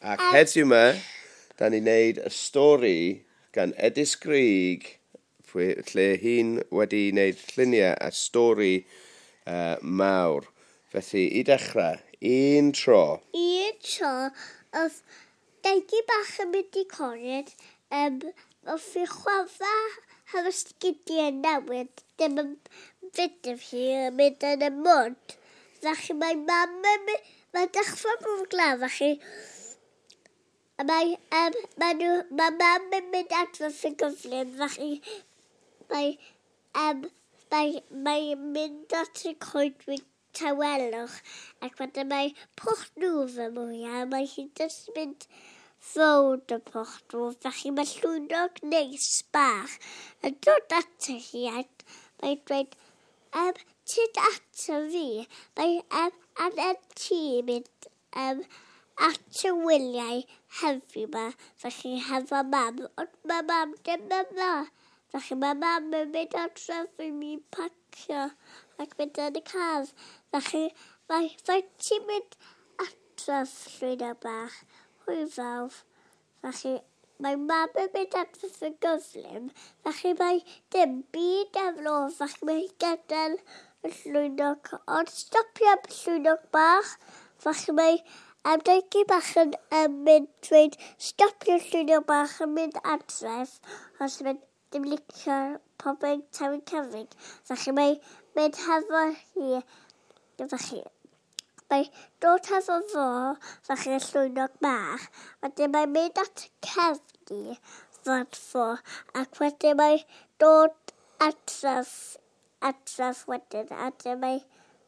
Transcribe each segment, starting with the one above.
Ac heddiw yma, da ni'n neud y stori gan Edis Grug, lle hi'n wedi wneud lluniau a stori mawr. Felly, i dechrau, un tro. Un tro, oedd Degi bach yn mynd i cored, wrth i chwafa hefo sgidiau newydd, ddim yn fynd hi yn mynd yn y mwd. Felly mae mam yn mynd, mae'n dechrau bwrw glaw, felly a mae, mae, nhw, mae mam yn mynd adref yn gyflym, felly mae, mae, mae mynd at y coedwig tawelwch, ac wedyn mae pwll nhw fy mwyaf, mae hi'n jyst mynd rownd y pwll nhw, felly mae llwynog neis bach yn dod ato hi ac mae'n dweud, tyd ato fi, mae angen ti mynd at y wyliau heddiw yma, felly hefo mam, ond mae mam ddim yma. Felly mae mam yn mynd adref i mi pacio ac mynd yn y car. Felly mae ti'n mynd adref, llwynog bach, hwyl fawr. Felly mae mam yn mynd adref yn gyflym, felly mae dim byd ar ôl, felly mae gadael y llwynog, ond stopio am llwynog bach, felly mae Degi bach yn mynd dweud stopio llwynog bach yn mynd adref, os mae'n ddim licio pobl tawu cyfrig. Felly mae mynd hefo hi, felly mae dod hefo fo, felly y llwynog bach, wedyn mae'n mynd at y cefni fod fo, ac wedyn mae dod adref, adref wedyn, a wedyn mae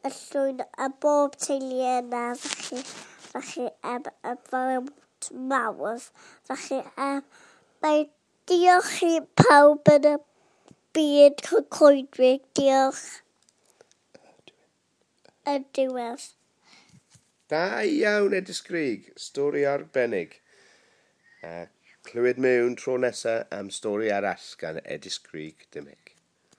y llwyn a bob teulu yna, felly, felly y fawr mawr, felly mae diolch i pawb yn y byd coedwig, diolch. Y diwedd. Da iawn, Edis Grug, stori arbennig. A clywed mewn tro nesaf am stori arall gan Edis Grug Dimmick.